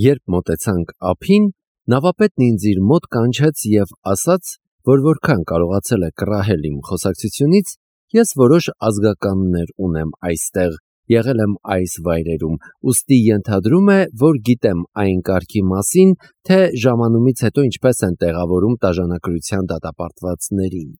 Երբ մոտեցանք ափին, նավապետն ինձ իր մոտ կանչեց և ասաց, որ որքան կարողացել է կռահել իմ խոսակցությունից, ես որոշ ազգականներ ունեմ այստեղ, եղել եմ այս վայրերում, ուստի ենթադրում է, որ գիտեմ այն կարգի մասին, թե ժամանումից հետո ինչպես են տեղավորում տաժանակրության դատապարտվածներին։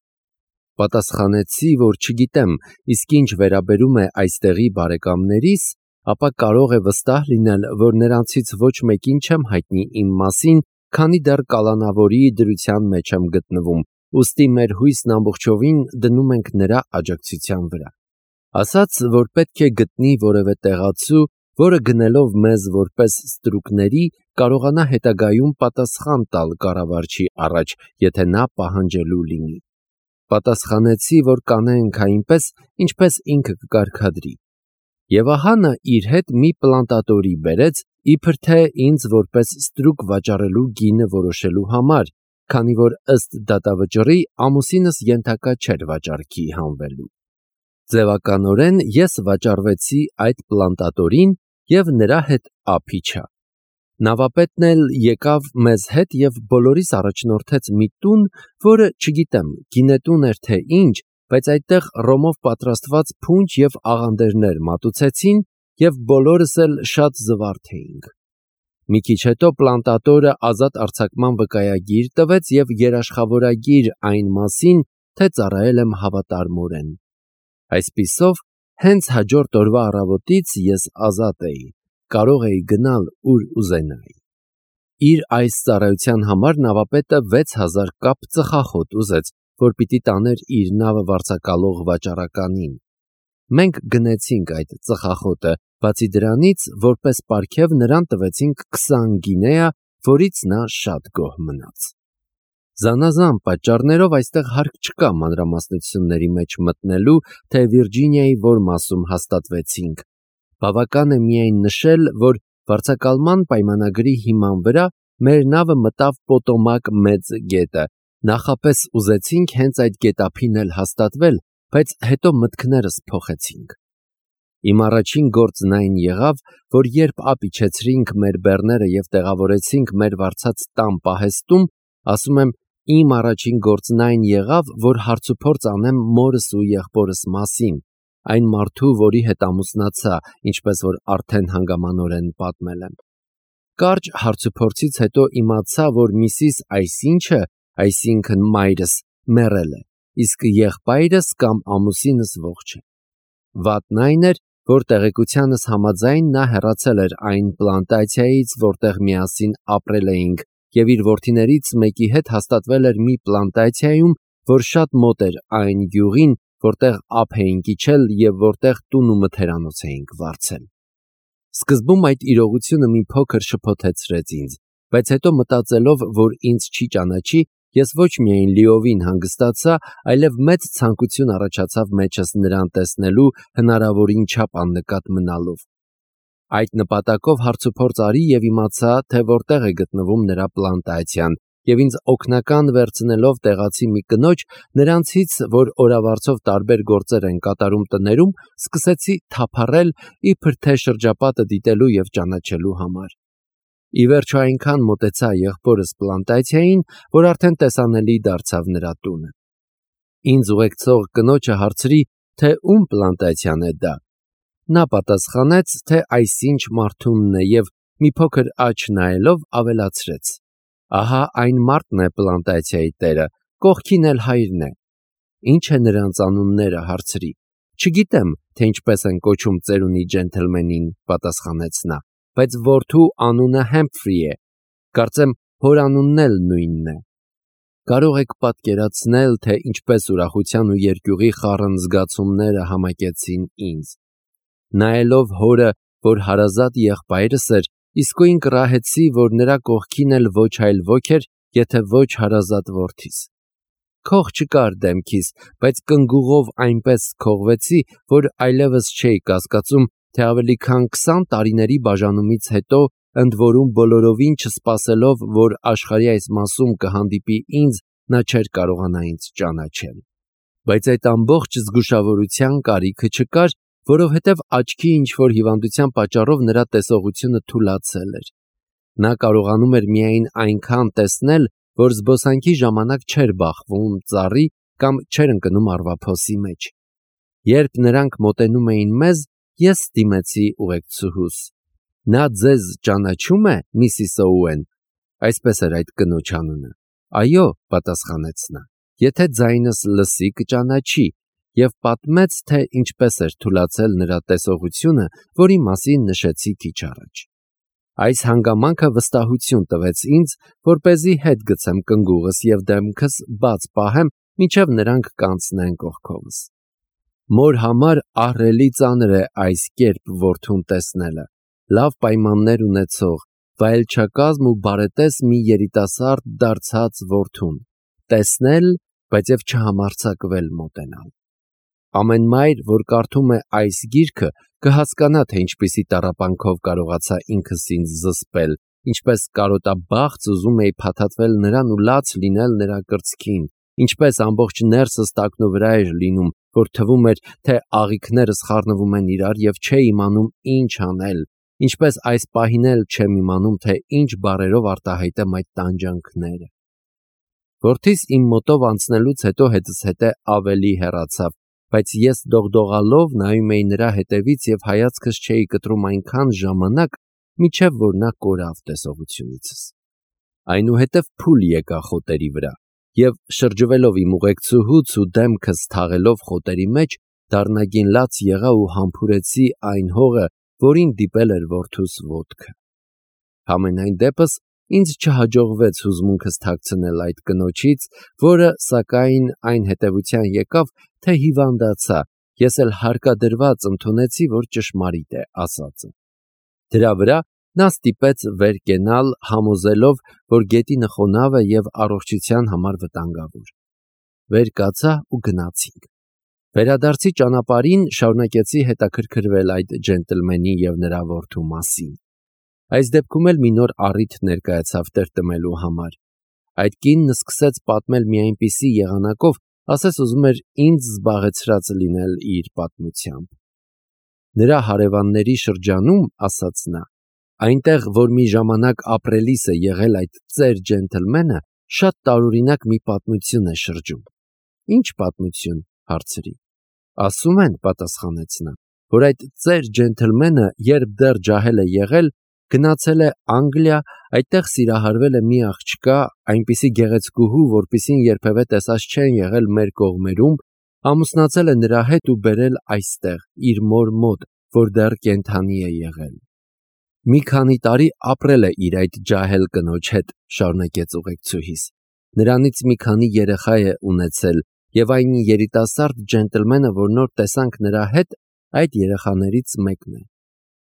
Պատասխանեցի, որ չգիտեմ, իսկ ինչ վերաբերում է այստեղի բարեկամներիս, ապա կարող է վստահ լինել, որ նրանցից ոչ մեկին չեմ հայտնի իմ մասին, քանի դեռ կալանավորի դրության մեջ եմ գտնվում, ուստի մեր հույսն ամբողջովին դնում ենք նրա աջակցության վրա։ Ասաց, որ պետք է գտնի որևէ տեղացու, որը գնելով մեզ որպես ստրուկների, կարողանա հետագայում պատասխան տալ կառավարչի առաջ, եթե նա պահանջելու լինի։ Պատասխանեցի, որ կանենք այնպես, ինչպես ինքը կկարգադրի։ Եվ ահա նա իր հետ մի պլանտատորի բերեց, իբր թե ինձ որպես ստրուկ վաճառելու գինը որոշելու համար, քանի որ ըստ դատավճռի ամուսինս ենթակա չէր վաճառքի հանվելու։ Ձևականորեն ես վաճառվեցի այդ պլանտատորին և նրա հետ ափ իջա։ Նավապետն էլ եկավ մեզ հետ և բոլորիս առաջնորդեց մի տուն, որը, չգիտեմ, գինետուն էր թե ինչ, բայց այդտեղ ռոմով պատրաստված փունջ և աղանդերներ մատուցեցին և բոլորս էլ շատ զվարթ էինք։ Մի քիչ հետո պլանտատորը ազատ արձակման վկայագիր տվեց և երաշխավորագիր այն մասին, թե ծառայել եմ հավատարմորեն։ Այսպիսով, հենց հաջորդ օրվա առավոտից ես ազատ էի, կարող էի գնալ ուր ուզենայի։ Իր այս ծառայության համար նավապետը 6000 կապ ծխախոտ ուզեց, որ պիտի տաներ իր նավը վարձակալող վաճառականին։ Մենք գնեցինք այդ ծխախոտը, բացի դրանից, որպես պարգև նրան տվեցինք 20 գինեա, որից նա շատ գոհ մնաց։ Զանազան պատճառներով այստեղ հարկ չկա մանրամասնությունների մեջ մտնելու, թե Վիրջինիայի որ մասում հաստատվեցինք։ Բավական է միայն նշել, որ վարձակալման պայմանագրի հիման վրա մեր նավը մտավ Պոտոմակ մեծ գետը, նախապես ուզեցինք հենց այդ գետափին էլ հաստատվել, բայց հետո մտքներս փոխեցինք։ Իմ առաջին գործն այն եղավ, որ երբ ափ իջեցրինք մեր բեռները և տեղավորեցինք մեր վարձած տան պահեստում, ասում եմ, իմ առաջին գործն այն եղավ, որ հարցուփորձ անեմ մորս ու եղբորս մասին, այն մարդու, որի հետ ամուսնացա, ինչպես որ արդեն հանգամանորեն պատմել եմ։ Կարճ հարցուփորձից հետո իմացա, որ միսիս այսինչը, այսինքն մայրս, մեռել է, իսկ եղբայրս կամ ամուսինս ողջ է։ Վատն այն էր, որ տեղեկությանս համաձայն նա հեռացել էր այն պլանտացիայից, որտեղ միասին ապրել էինք, և իր որդիներից մեկի հետ հաստատվել էր մի պլանտացիայում, որ շատ մոտ էր այն գյուղին, որտեղ ափ էինք իջել և որտեղ տուն ու մթերանոց էինք վարձել։ Սկզբում այդ իրողությունը մի փոքր շփոթեցրեց ինձ, բայց հետո մտածելով, որ ինձ չի ճանաչի, ես ոչ միայն լիովին հանգստացա, այլև մեծ ցանկություն առաջացավ մեջս նրան տեսնելու հնարավորին չափ աննկատ մնալով։ Այդ նպատակով հարցուփորձ արի և իմացա, թե որտեղ է գտնվում նրա պլանտացիան, և ինձ օգնական վերցնելով տեղացի մի կնոջ, նրանցից, որ օրավարձով տարբեր գործեր են կատարում տներում, սկսեցի թափառել, իբր թե շրջապատը դիտելու և ճանաչելու համար։ Ի վերջո այնքան մոտեցա եղբորս պլանտացիային, որ արդեն տեսանելի դարձավ նրա տունը։ Ինձ ուղեկցող կնոջը հարցրի, թե ում պլանտացիան է դա։ Նա պատասխանեց, թե այսինչ մարդունն է և մի փոքր աջ նայելով ավելացրեց. ահա այն մարդն է պլանտացիայի տերը, կողքին էլ հայրն է։ Ինչ է նրանց անունները, հարցրի։ Չգիտեմ, թե ինչպես են կոչում ծերունի ջենթլմենին, պատասխանեց նա, բայց որդու անունը Հեմփրի է, կարծեմ հոր անունն էլ նույնն է։ Կարող եք պատկերացնել, թե ինչպես ուրախության ու երկյուղի խառն զգացումները համակեցին ինձ։ Նայելով հորը, որ հարազատ եղբայրս էր, իսկույն կռահեցի, որ նրա կողքին էլ ոչ այլ ոք էր, եթե ոչ հարազատ որդիս։ Քող չկար դեմքիս, բայց կնգուղով այնպես քողվեցի, որ այլևս չէի կասկածում, թե ավելի քան 20 տարիների բաժանումից հետո, ընդ որում բոլորովին չսպասելով, որ աշխարհի այս մասում կհանդիպի ինձ, նա չէր կարողանա ինձ ճանաչել։ Բայց այդ ամբողջ զգուշավորության կարիքը չկար, որովհետև աչքի ինչ-որ հիվանդության պատճառով նրա տեսողությունը թուլացել էր։ Նա կարողանում էր միայն այնքան տեսնել, որ զբոսանքի ժամանակ չէր բախվում ծառի կամ չէր ընկնում առվափոսի մեջ։ Երբ նրանք մոտենում էին մեզ, ես դիմեցի ուղեկցուհուս. «Նա ձեզ ճանաչում է, Միսիս Օուեն»։ Այսպես էր այդ կնոջ անունը։ «Այո», պատասխանեց նա, «եթե ձայնս լսի, կճանաչի», եւ պատմեց, թե ինչպես էր թուլացել նրա տեսողությունը, որի մասին նշեցի քիչ առաջ։ Այս հանգամանքը վստահություն տվեց ինձ, որպեսզի հետ գցեմ կնգուղս եւ դեմքս բաց պահեմ, մինչեւ նրանք կանցնեն կողքովս։ Մոր համար ահռելի ծանր է այս կերպ որդուն տեսնելը, լավ պայմաններ ունեցող, վայելչակազմ ու բարետես մի երիտասարդ դարձած որդուն տեսնել, բայց եւ չհամարձակվել մոտենալ։ Ամեն մայր, որ կարդում է այս գիրքը, կհասկանա, թե ինչպիսի տառապանքով կարողացա ինքս ինձ զսպել, ինչպես կարոտաբաղց ուզում էի փաթաթվել նրան ու լաց լինել նրա կրծքին, ինչպես ամբողջ ներսս տակնու վրա էր լինում, որ թվում էր, թե աղիքներս խառնվում են իրար եւ չէի իմանում ինչ անել, ինչպես այս պահին էլ չեմ իմանում, թե ինչ բառերով արտահայտեմ այդ տանջանքները։ Որդիս իմ մոտով անցնելուց հետո հետս հետե ավելի հեռացավ, բայց ես դողդողալով նայում էի նրա հետևից եւ հայացքս չէի կտրում այնքան ժամանակ, մինչեւ որ նա կորավ տեսողությունիցս։ Այնուհետև փուլ եկա խոտերի վրա եւ շրջվելով իմ ուղեկցուհուց ու դեմքս թաղելով խոտերի մեջ, դառնագին լաց եղա ու համբուրեցի այն հողը, որին դիպել էր որդուս ոտքը։ Համենայն դեպս ինձ չհաջողվեց հուզմունքս թաքցնել այդ կնոջից, որը սակայն այն հետևության եկավ, թե հիվանդացա, ես էլ հարկադրված ընդունեցի, որ ճշմարիտ է ասածը։ Դրա վրա նա ստիպեց վեր կենալ, համոզելով, որ գետինը խոնավ է եւ առողջության համար վտանգավոր։ Վեր կացա ու գնացինք։ Վերադարձի ճանապարհին շարունակեցի հետաքրքրվել այդ ջենտլմենի եւ նրա որդու մասին։ Այս դեպքում էլ մի նոր առիթ ներկայացավ տրտմելու համար։ Այդ կինն սկսեց պատմել մի այնպիսի եղանակով, ասես ուզում էր ինձ զբաղեցրած լինել իր պատմությամբ։ Նրա հարևանների շրջանում, ասաց նա, այնտեղ, որ մի ժամանակ ապրելիս է եղել այդ ծեր ջենտլմենը, շատ տարօրինակ մի պատմություն է շրջում։ Ինչ պատմություն, հարցրի։ Ասում են, պատասխանեց նա, որ այդ ծեր ջենտլմենը, երբ դեռ ջահել է եղել, գնացել է Անգլիա, այդտեղ սիրահարվել է մի աղջկա, այնպիսի գեղեցկուհու, որպիսին երբևէ տեսած չեն եղել մեր կողմերում, ամուսնացել է նրա հետ ու բերել այստեղ, իր մոր մոտ, որ դեռ կենդանի է եղել։ Մի քանի տարի ապրել է իր այդ ջահել կնոջ հետ, շարունակեց ուղեկցուհիս։ Նրանից մի քանի երեխա է ունեցել, եւ այն երիտասարդ ջենտլմենը, որ նոր տեսանք նրա հետ, այդ երեխաներից մեկն է։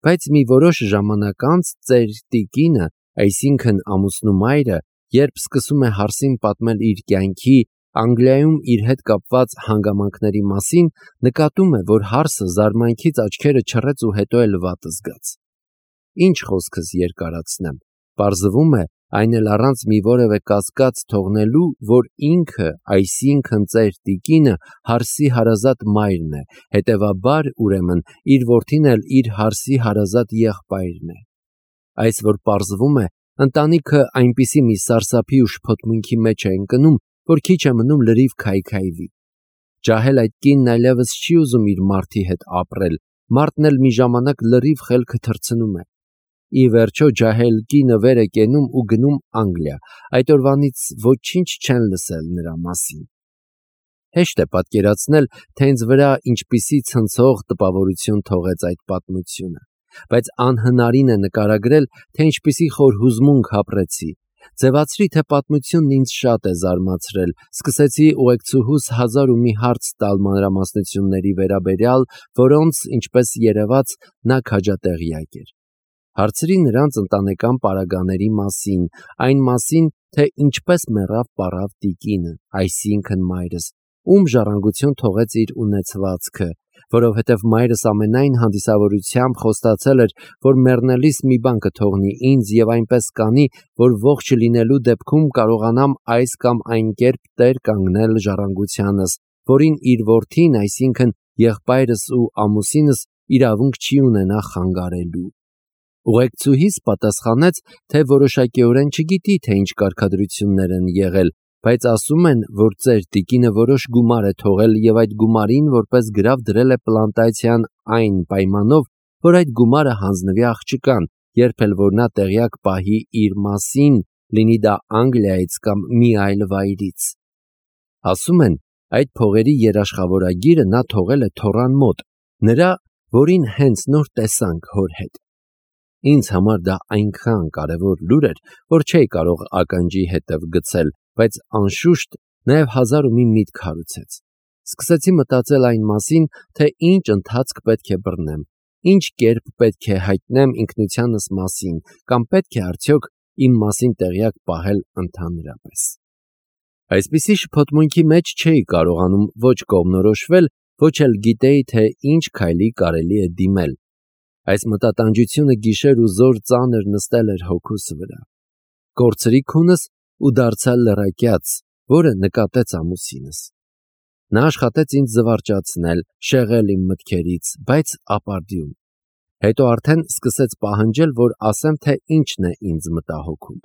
Բայց մի որոշ ժամանակ անց ծեր տիկինը, այսինքն ամուսնու մայրը, երբ սկսում է հարսին պատմել իր կյանքի, Անգլիայում իր հետ կապված հանգամանքների մասին, նկատում է, որ հարսը զարմանքից աչքերը չռեց ու հետո էլ վատ զգաց։ Ինչ խոսքս երկարացնեմ, պարզվում է, այն էլ առանց մի որևէ կասկած թողնելու, որ ինքը, այսինքն ծեր տիկինը, հարսի հարազատ մայրն է, հետևաբար, ուրեմն, իր որդին էլ իր հարսի հարազատ եղբայրն է։ Այս որ պարզվում է, ընտանիքը այնպիսի մի սարսափի ու շփոթմունքի մեջ է ընկնում, որ քիչ է մնում լրիվ քայքայվի։ Ջահել այդ կինն այլևս չի ուզում իր մարդի հետ ապրել, մարդն էլ մի ժամանակ լրիվ խելքը թռցնում է։ Ի վերջո ջահել կինը վեր է կենում ու գնում Անգլիա, այդ օրվանից ոչինչ չեն լսել նրա մասին։ Հեշտ է պատկերացնել, թե ինձ վրա ինչպիսի ցնցող տպավորություն թողեց այդ պատմությունը, բայց անհնարին է նկարագրել, թե ինչպիսի խոր հուզմունք ապրեցի։ Ձևացրի, թե պատմությունն ինձ շատ է զարմացրել, սկսեցի ուղեկցուհուս հազար ու մի հարց տալ մանրամասնությունների վերաբերյալ, որոնց, ինչպես երևաց, նա քաջատեղյակ էր։ Հարցրի նրանց ընտանեկան պարագաների մասին, այն մասին, թե ինչպես մեռավ պառավ տիկինը, այսինքն մայրս, ում ժառանգություն թողեց իր ունեցվածքը, որովհետև մայրս ամենայն հանդիսավորությամբ խոստացել էր, որ մեռնելիս մի բան կթողնի ինձ եւ այնպես կանի, որ ողջ լինելու դեպքում կարողանամ այս կամ այն կերպ տեր կանգնել ժառանգությանս, որին իր որդին, այսինքն եղբայրս ու ամուսինս իրավունք չի ունենա խանգարելու։ Ուղեկցուհիս պատասխանեց, թե որոշակիորեն չգիտի, թե ինչ կարգադրություններ են եղել, բայց ասում են, որ ծեր տիկինը որոշ գումար է թողել եւ այդ գումարին որպես գրավ դրել է պլանտացիան այն պայմանով, որ այդ գումարը հանձնվի աղջկան, երբ էլ որ նա տեղյակ պահի իր մասին, լինի դա Անգլիայից կամ մի այլ վայրից։ Ասում են, այդ փողերի երաշխավորագիրը նա թողել է թոռան մոտ, նրա, որին հենց նոր տեսանք հոր հետ։ Ինձ համար դա այնքան կարևոր լուր էր, որ չէի կարող ականջի հետև գցել, բայց անշուշտ նաև հազար ու մի միտք հարուցեց։ Սկսեցի մտածել այն մասին, թե ինչ ընթացք պետք է բռնեմ, ինչ կերպ պետք է հայտնեմ ինքնությանս մասին, կամ պետք է արդյոք իմ մասին տեղյակ պահել ընդհանրապես։ Այսպիսի շփոթմունքի մեջ չէի կարողանում ոչ կողմնորոշվել, ոչ էլ գիտեի, թե ինչ քայլի կարելի է դիմել։ Այս մտատանջությունը գիշեր ու զոր ծանր նստել էր հոգուս վրա։ Կորցրի քունս ու դարձա լռակյաց, որը նկատեց ամուսինս։ Նա աշխատեց ինձ զվարճացնել, շեղել իմ մտքերից, բայց ապարդյուն։ Հետո արդեն սկսեց պահանջել, որ ասեմ, թե ինչն է ինձ մտահոգում։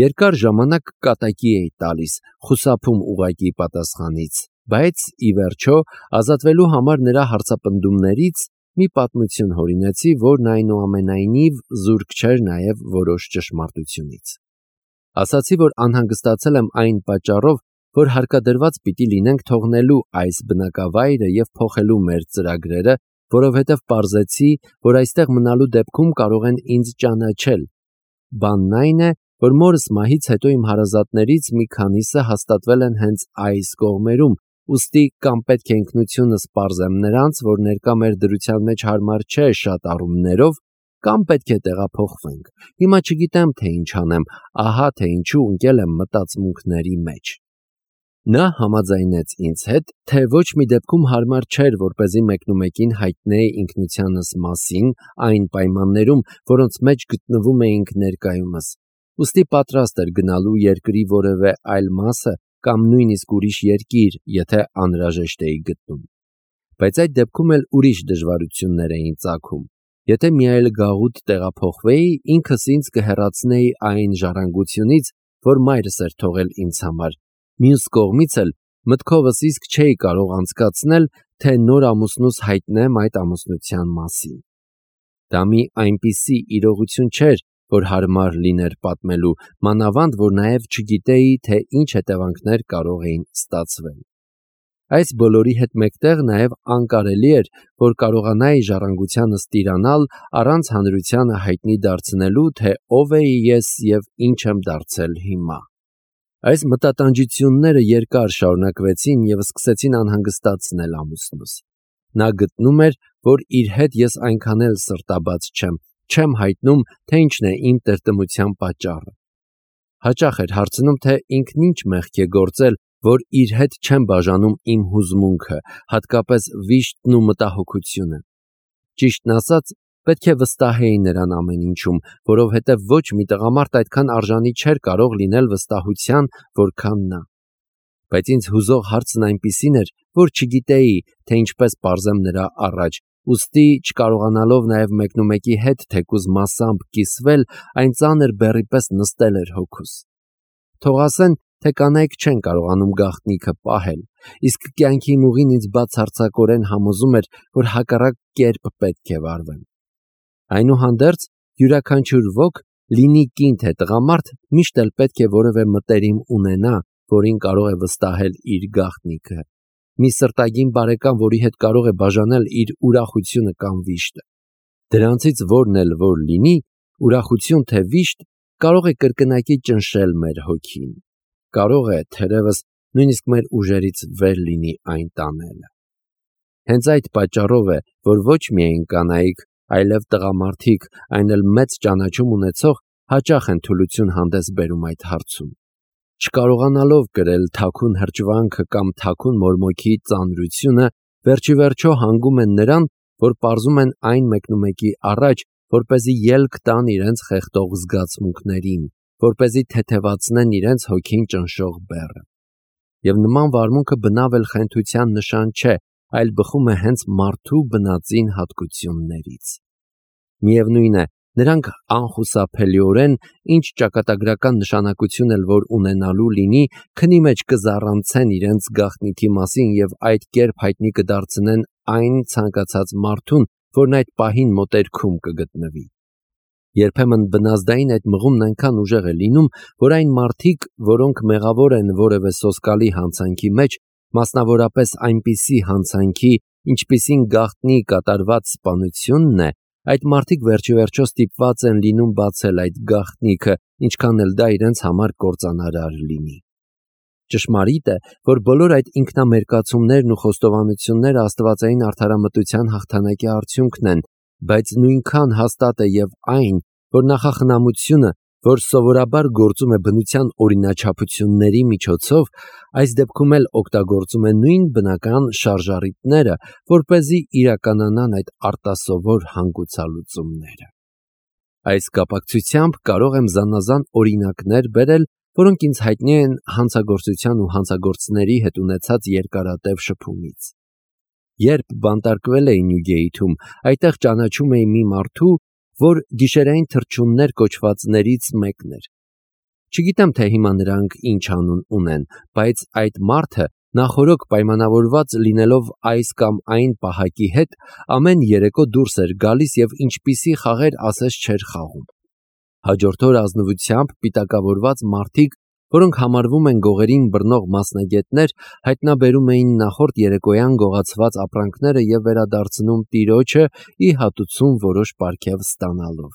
Երկար ժամանակ կատակի էի տալիս, խուսափում ուղղակի պատասխանից, բայց ի վերջո ազատվելու համար նրա հարցապնդումներից մի պատմություն հորինեցի, որն այնուամենայնիվ զուրկ չէր նաև որոշ ճշմարտությունից։ Ասացի, որ անհանգստացել եմ այն պատճառով, որ հարկադրված պիտի լինենք թողնելու այս բնակավայրը և փոխելու մեր ծրագրերը, որովհետև պարզեցի, որ այստեղ մնալու դեպքում կարող են ինձ ճանաչել։ Բանն այն է, որ մորս մահից հետո իմ հարազատներից մի քանիսը հաստատվել են հենց այս կողմերում, ուստի կամ պետք է ինքնությունս պարզեմ նրանց, որ ներկա մեր դրության մեջ հարմար չէ շատ առումներով, կամ պետք է տեղափոխվենք։ Հիմա չգիտեմ, թե ինչ անեմ, ահա թե ինչու ընկել եմ մտածմունքների մեջ։ Նա համաձայնեց ինձ հետ, թե ոչ մի դեպքում հարմար չէր, որպեսզի մեկնումեկին հայտնեի ինքնությանս մասին այն պայմաններում, որոնց մեջ գտնվում էինք ներկայումս։ Ուստի պատրաստ էր գնալու երկրի որևէ այլ մասը կամ նույնիսկ ուրիշ երկիր, եթե անհրաժեշտ էի գտնում։ Բայց այդ դեպքում էլ ուրիշ դժվարություններ էին ծագում։ Եթե մի այլ գաղութ տեղափոխվեի, ինքս ինձ կհեռացնեի այն ժառանգությունից, որ մայրս էր թողել ինձ համար։ Մյուս կողմից էլ մտքովս իսկ չէի կարող անցկացնել, թե նոր ամուսնուս հայտնեմ այդ ամուսնության մասին։ Դա մի այնպիսի իրողություն չէր, որ հարմար լիներ պատմելու, մանավանդ, որ նաև չգիտեի, թե ինչ հետևանքներ կարող էին ստացվել։ Այս բոլորի հետ մեկտեղ նաև անկարելի էր, որ կարողանայի ժառանգությանս տիրանալ առանց հանրությանը հայտնի դարձնելու, թե ով էի ես և ինչ եմ դարձել հիմա։ Այս մտատանջությունները երկար շարունակվեցին և սկսեցին անհանգստացնել ամուսնուս։ Նա գտնում էր, որ իր հետ ես այնքան էլ սրտաբաց չեմ հայտնում, թե ինչն է իմ տրտմության պատճառը։ Հաճախ էր հարցնում, թե ինքն ինչ մեղք է գործել, որ իր հետ չեմ բաժանում իմ հուզմունքը, հատկապես վիշտն ու մտահոգությունը։ Ճիշտն ասած, պետք է վստահեի նրան ամեն ինչում, որովհետև ոչ մի տղամարդ այդքան արժանի չէր կարող լինել վստահության, որքան նա։ Բայց ինձ հուզող հարցն այնպիսին էր, որ չգիտեի, թե ինչպես պարզեմ նրա առաջ, ուստի չկարողանալով նաև մեկնումեկի հետ թեկուզ մասամբ կիսվել, այն ծանր բեռի պես նստել էր հոգուս։ Թող ասեն, թե կանայք չեն կարողանում գաղտնիքը պահել, իսկ կյանքի ուղին ինձ բացարձակորեն համոզում էր, որ հակառակ կերպ պետք է վարվեմ։ Այնուհանդերձ, յուրաքանչյուր ոք, լինի կին թե տղամարդ, միշտ էլ պետք է որևէ մտերիմ ունենա, որին կարող է վստահել իր գաղտնիքը, մի սրտագին բարեկամ, որի հետ կարող է բաժանել իր ուրախությունը կամ վիշտը։ Դրանցից որն էլ որ լինի, ուրախություն թե վիշտ, կարող է կրկնակի ճնշել մեր հոգին, կարող է, թերևս, նույնիսկ մեր ուժերից վեր լինի այն տանելը։ Հենց այդ պատճառով է, որ ոչ միայն կանայք, այլև տղամարդիկ, այն էլ մեծ ճանաչում ունեցող, հաճախ են թուլություն հանդես բերում այդ հարցում։ Չկարողանալով կրել թաքուն հրճվանքը կամ թաքուն մորմոքի ծանրությունը, վերջիվերջո հանգում են նրան, որ պարզում են այն մեկնումեկի առաջ, որպեսզի ելք տան իրենց խեղդող զգացմունքներին, որպեսզի թեթևացնեն իրենց հոգին ճնշող բեռը։ Եվ նման վարմունքը բնավ էլ խենթության նշան չէ, այլ բխում է հենց մարդու բնածին հատկություններից։ Միևնույն է, նրանք անխուսափելիորեն, ինչ ճակատագրական նշանակություն էլ որ ունենալու լինի, քնի մեջ կզառանցեն իրենց գաղտնիքի մասին եւ այդ կերպ հայտնի կդարձնեն այն ցանկացած մարդուն, որն այդ պահին մոտերքում կգտնվի։ Երբեմն բնազդային այդ մղումն այնքան ուժեղ է լինում, որ այն մարդիկ, որոնք մեղավոր են որևէ սոսկալի հանցանքի մեջ, մասնավորապես այնպիսի հանցանքի, ինչպիսին գաղտնի կատարված սպանությունն է, այդ մարդիկ վերջիվերջո ստիպված են լինում բացել այդ գաղտնիքը, ինչքան էլ դա իրենց համար կործանարար լինի։ Ճշմարիտ է, որ բոլոր այդ ինքնամերկացումներն ու խոստովանությունները աստվածային արդարամտության հաղթանակի արդյունքն են, բայց նույնքան հաստատ է եւ այն, որ նախախնամությունը, որ սովորաբար գործում է բնության օրինաչափությունների միջոցով, այս դեպքում էլ օգտագործում է նույն բնական շարժառիթները, որպեսզի իրականանան այդ արտասովոր հանգուցալուծումները։ Այս կապակցությամբ կարող եմ զանազան օրինակներ բերել, որոնք ինձ հայտնի են հանցագործության ու հանցագործների հետ ունեցած երկարատև շփումից։ Երբ բանտարկվել էի Նյուգեյթում, այդտեղ ճանաչում էի մի մարդու, որ գիշերային թռչուններ կոչվածներից մեկն էր։ Չգիտեմ, թե հիմա նրանք ինչ անուն ունեն, բայց այդ մարդը նախորոք պայմանավորված լինելով այս կամ այն պահակի հետ, ամեն երեկո դուրս էր գալիս եւ ինչպիսի խաղեր ասես չէր խաղում։ Հաջորդ օր ազնվությամբ պիտակավորված մարդիկ, որոնք համարվում են գողերին բռնող մասնագետներ, հայտնաբերում էին նախորդ երեկոյան գողացված ապրանքները եւ վերադարձնում տիրոջը ի հատուցում որոշ պարգև ստանալով։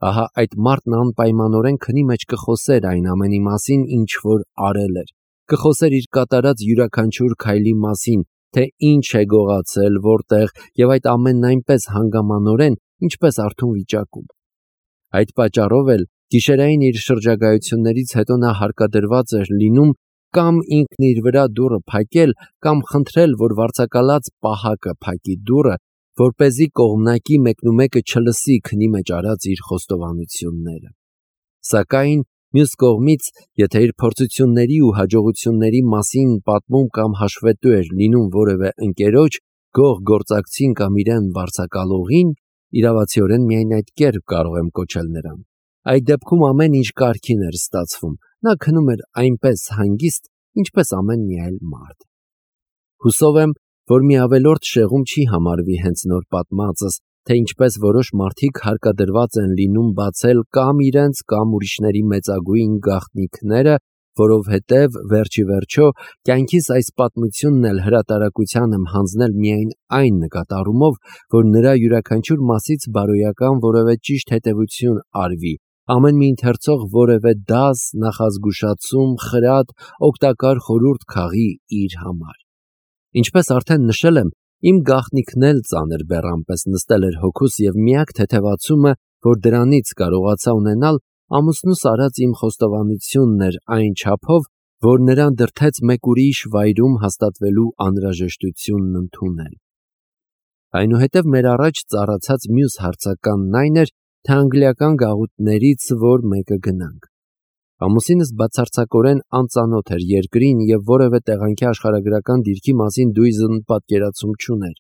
Ահա այդ մարդն անպայմանորեն քնի մեջ կխոսեր այն ամենի մասին, ինչ որ արել էր, կխոսեր իր կատարած յուրաքանչյուր քայլի մասին, թե ինչ է գողացել, որտեղ եւ այդ ամենն այնպես հանգամանորեն, ինչպես արթուն վիճակում։ Այդ պատճառով էլ գիշերային իր շրջագայություններից հետո նա հարկադրված էր լինում կամ ինքն իր վրա դուռը փակել, կամ խնդրել, որ վարձակալած պահակը փակի դուռը, որպեսզի կողմնակի մեկնումեկը չլսի քնի մեջ արած իր խոստովանությունները։ Սակայն մյուս կողմից, եթե իր փորձությունների ու հաջողությունների մասին պատմում կամ հաշվետու էր լինում որևէ ընկերոջ, գող գործակցին կամ իրեն վարձակալողին, իրավացիորեն միայն այդ կերպ կարող եմ կոչել նրան, այդ դեպքում ամեն ինչ կարգին էր ստացվում, նա քնում էր այնպես հանգիստ, ինչպես ամեն մի այլ մարդ։ Հուսով եմ, որ մի ավելորդ շեղում չի համարվի հենց նոր պատմածս, թե ինչպես որոշ մարդիկ հարկադրված են լինում բացել կամ իրենց կամ ուրիշների մեծագույն գաղտնիքները, որովհետև վերջի վերջո կյանքիս այս պատմությունն էլ հրատարակության եմ հանձնել միայն այն նկատառումով, որ նրա յուրաքանչյուր մասից բարոյական որևէ ճիշտ հետևություն արվի, ամեն մի ընթերցող որևէ դաս, նախազգուշացում, խրատ, օգտակար խորհուրդ քաղի իր համար։ Ինչպես արդեն նշել եմ, իմ գաղտնիքն էլ ծանր բեռան պես նստել էր հոգուս եւ միակ թեթևացումը, որ դրանից կարողացա ունենալ, ամուսնուս արած իմ խոստովանությունն էր այն չափով, որ նրան դրդեց մեկ ուրիշ վայրում հաստատվելու անհրաժեշտությունն ընդունել։ Այնուհետև մեր առաջ ծառացած մյուս հարցականն այն էր, թե անգլիական գաղութներից որ մեկը գնանք։ Ամուսինս բացարձակորեն անծանոթ էր երկրին եւ որևէ տեղանքի աշխարհագրական դիրքի մասին դույզն պատկերացում չուներ։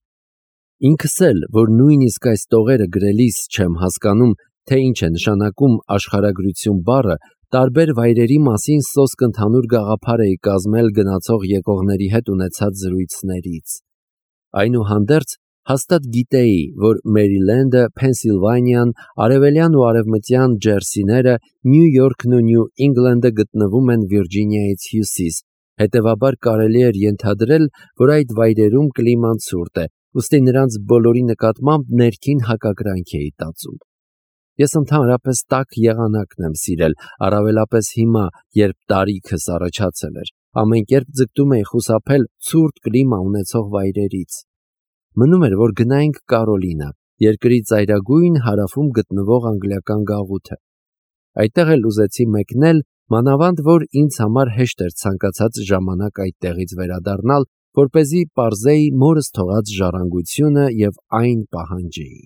Ինքս էլ, որ նույնիսկ այս տողերը գրելիս չեմ հասկանում, թե ինչ է նշանակում աշխարհագրություն բառը, տարբեր վայրերի մասին սոսկ ընդհանուր գաղափար էի կազմել գնացող եկողների հետ ունեցած զրույցներից։ Այնուհանդերձ հաստատ գիտեի, որ Մերիլենդը, Փենսիլվանիան, Արևելյան ու Արևմտյան Ջերսիները, Նյու Յորքն ու Նյու Ինգլանդը գտնվում են Վիրջինիայից հյուսիս, հետևաբար կարելի էր ենթադրել, որ այդ վայրերում կլիման ցուրտ է, ուստի նրանց բոլորի նկատմամբ ներքին հակակրանք էի տածում։ Ես ընդհանրապես տաք եղանակն եմ սիրել, առավելապես հիմա, երբ տարիքս առաջացել էր, ամեն կերպ ձգտում էի խուսափել ցուրտ կլիմա ունեցող վայրերից։ Մնում էր, որ գնայինք Կարոլինա, երկրի ծայրագույն հարավում գտնվող անգլիական գաղութը։ Այդտեղ էլ ուզեցի մեկնել, մանավանդ որ ինձ համար հեշտ էր ցանկացած ժամանակ այդտեղից վերադառնալ, որպեսզի պարզեի մորս թողած ժառանգությունը եւ այն պահանջեի։